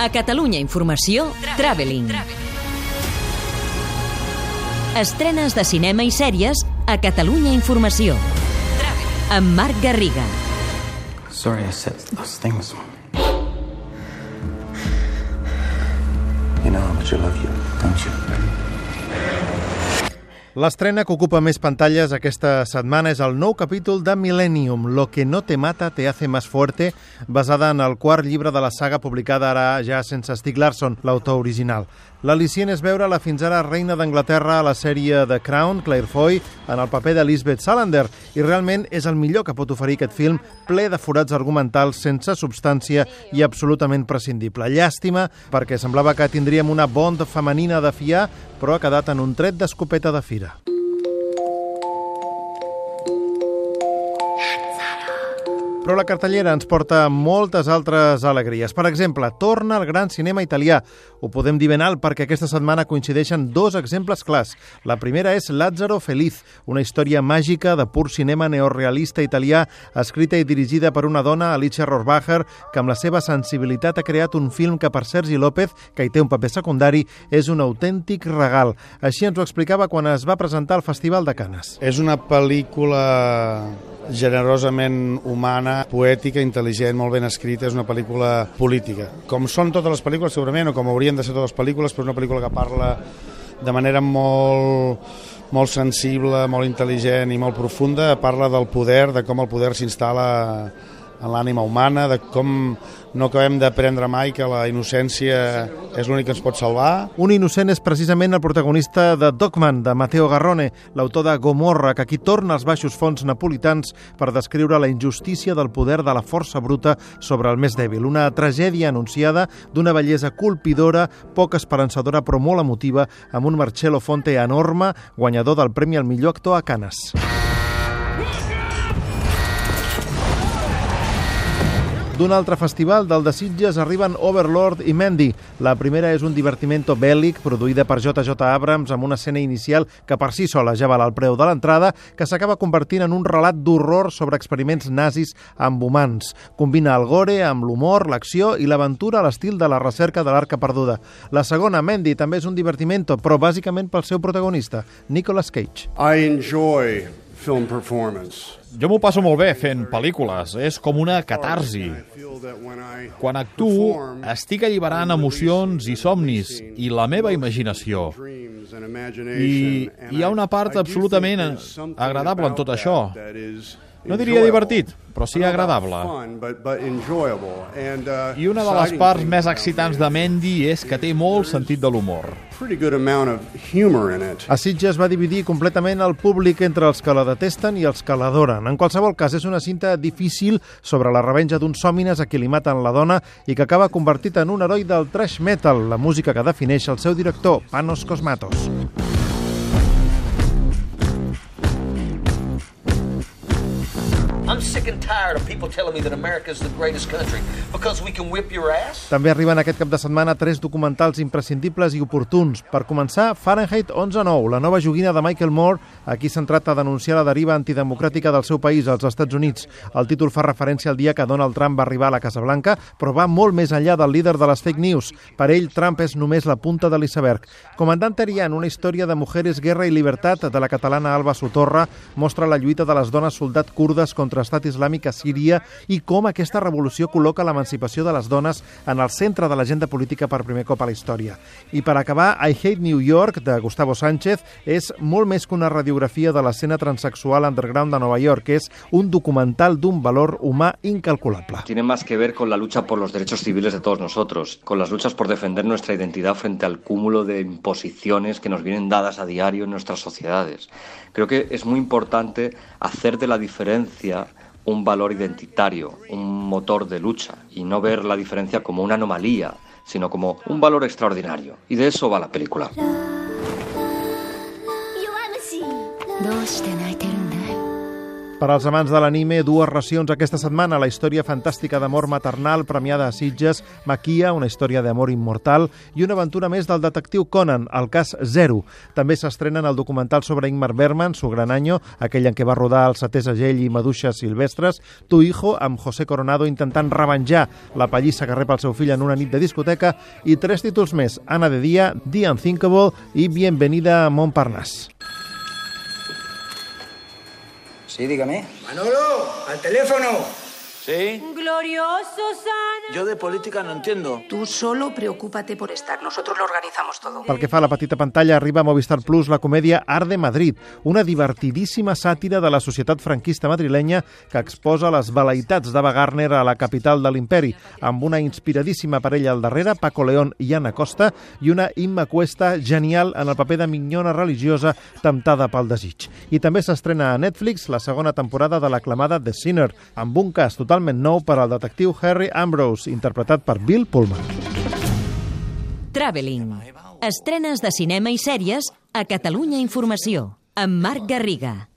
A Catalunya Informació, Traveling. Estrenes de cinema i sèries a Catalunya Informació. Amb Marc Garriga. Sorry I said those things. You know how much I love you, don't you? L'estrena que ocupa més pantalles aquesta setmana és el nou capítol de Millennium, Lo que no te mata te hace más fuerte, basada en el quart llibre de la saga publicada ara ja sense Stieg Larsson, l'autor original. L'al·licient és veure la fins ara reina d'Anglaterra a la sèrie The Crown, Claire Foy, en el paper de Lisbeth Salander, i realment és el millor que pot oferir aquest film, ple de forats argumentals, sense substància i absolutament prescindible. Llàstima, perquè semblava que tindríem una Bond femenina de fiar, però ha quedat en un tret d'escopeta de fira. Però la cartellera ens porta moltes altres alegries. Per exemple, torna al gran cinema italià. Ho podem dir ben alt perquè aquesta setmana coincideixen dos exemples clars. La primera és Lazzaro Feliz, una història màgica de pur cinema neorealista italià, escrita i dirigida per una dona, Alicia Rohrwacher, que amb la seva sensibilitat ha creat un film que per Sergi López, que hi té un paper secundari, és un autèntic regal. Així ens ho explicava quan es va presentar al Festival de Canes. És una pel·lícula generosament humana, poètica, intel·ligent, molt ben escrita, és una pel·lícula política. Com són totes les pel·lícules, segurament, o com haurien de ser totes les pel·lícules, però és una pel·lícula que parla de manera molt sensible, molt intel·ligent i molt profunda, parla del poder, de com el poder s'instal·la en l'ànima humana, de com no acabem d'aprendre mai que la innocència és l'únic que ens pot salvar. Un innocent és precisament el protagonista de Dogman, de Matteo Garrone, l'autor de Gomorra, que aquí torna als baixos fons napolitans per descriure la injustícia del poder de la força bruta sobre el més dèbil. Una tragèdia anunciada d'una bellesa colpidora, poc esperançadora però molt emotiva, amb un Marcello Fonte enorme, guanyador del Premi al millor actor a Canes. D'un altre festival, del de Sitges, arriben Overlord i Mandy. La primera és un divertimento bèl·lic produïda per J.J. Abrams amb una escena inicial que per si sola ja val el preu de l'entrada, que s'acaba convertint en un relat d'horror sobre experiments nazis amb humans. Combina el gore amb l'humor, l'acció i l'aventura a l'estil de la recerca de l'Arca Perduda. La segona, Mandy, també és un divertimento, però bàsicament pel seu protagonista, Nicolas Cage. I enjoy film performance. Jo m'ho passo molt bé fent pel·lícules, és com una catarsi. Quan actuo, estic alliberant emocions i somnis i la meva imaginació. I hi ha una part absolutament agradable en tot això. No diria divertit, però sí agradable. I una de les parts més excitants de Mandy és que té molt sentit de l'humor. A Sitges va dividir completament el públic entre els que la detesten i els que l'adoren. En qualsevol cas, és una cinta difícil sobre la revenja d'uns hòmines a qui li maten la dona i que acaba convertit en un heroi del thrash metal, la música que defineix el seu director, Panos Cosmatos. I'm sick and tired of people telling me that America is the greatest country because we can whip your ass. També arriben aquest cap de setmana 3 documentals imprescindibles i oportuns. Per començar, Fahrenheit 11/9, la nova joguina de Michael Moore, aquí centrat a denunciar la deriva antidemocràtica del seu país, als Estats Units. El títol fa referència al dia que Donald Trump va arribar a la Casa Blanca, però va molt més enllà del líder de les fake news. Per ell, Trump és només la punta de l'iceberg. Comandant Terian, una història de mujeres, guerra i libertat de la catalana Alba Sotorra, mostra la lluita de les dones soldat kurdes contra Estat Islàmic a Síria i com aquesta revolució col·loca l'emancipació de les dones en el centre de l'agenda política per primer cop a la història. I per acabar, I Hate New York, de Gustavo Sánchez, és molt més que una radiografia de l'escena transexual underground de Nova York, és un documental d'un valor humà incalculable. Tiene más que ver con la lucha por los derechos civiles de todos nosotros, con las luchas por defender nuestra identidad frente al cúmulo de imposiciones que nos vienen dadas a diario en nuestras sociedades. Creo que es muy importante hacer de la diferencia un valor identitario, un motor de lucha, y no ver la diferencia como una anomalía, sino como un valor extraordinario. Y de eso va la película. Per als amants de l'anime, dues racions aquesta setmana. La història fantàstica d'amor maternal premiada a Sitges, Maquia, una història d'amor immortal, i una aventura més del detectiu Conan, el cas Zero. També s'estrenen el documental sobre Ingmar Bergman, Su gran año, aquell en què va rodar El setè segell i Maduixes silvestres, Tu hijo, amb José Coronado intentant revenjar la pallissa que rep el seu fill en una nit de discoteca, i 3 títols més, Ana de Día, The Unthinkable i Bienvenida a Montparnasse. Sí, dígame. Manolo, al teléfono. ¿Sí? Glorioso, Sana. Yo de política no entiendo. Tú solo preocúpate por estar. Nosotros lo organizamos todo. Pel que fa a la petita pantalla, arriba a Movistar Plus la comèdia Art de Madrid, una divertidíssima sàtira de la societat franquista madrilenya que exposa les veleïtats d'Ava Gardner a la capital de l'imperi, amb una inspiradíssima parella al darrere, Paco León i Ana Costa, i una Imma Cuesta genial en el paper de minyona religiosa temptada pel desig. I també s'estrena a Netflix la segona temporada de l'aclamada The Sinner, amb un cas totalment nou per al detectiu Harry Ambrose, interpretat per Bill Pullman. Traveling. Estrenes de cinema i sèries a Catalunya Informació, amb Marc Garriga.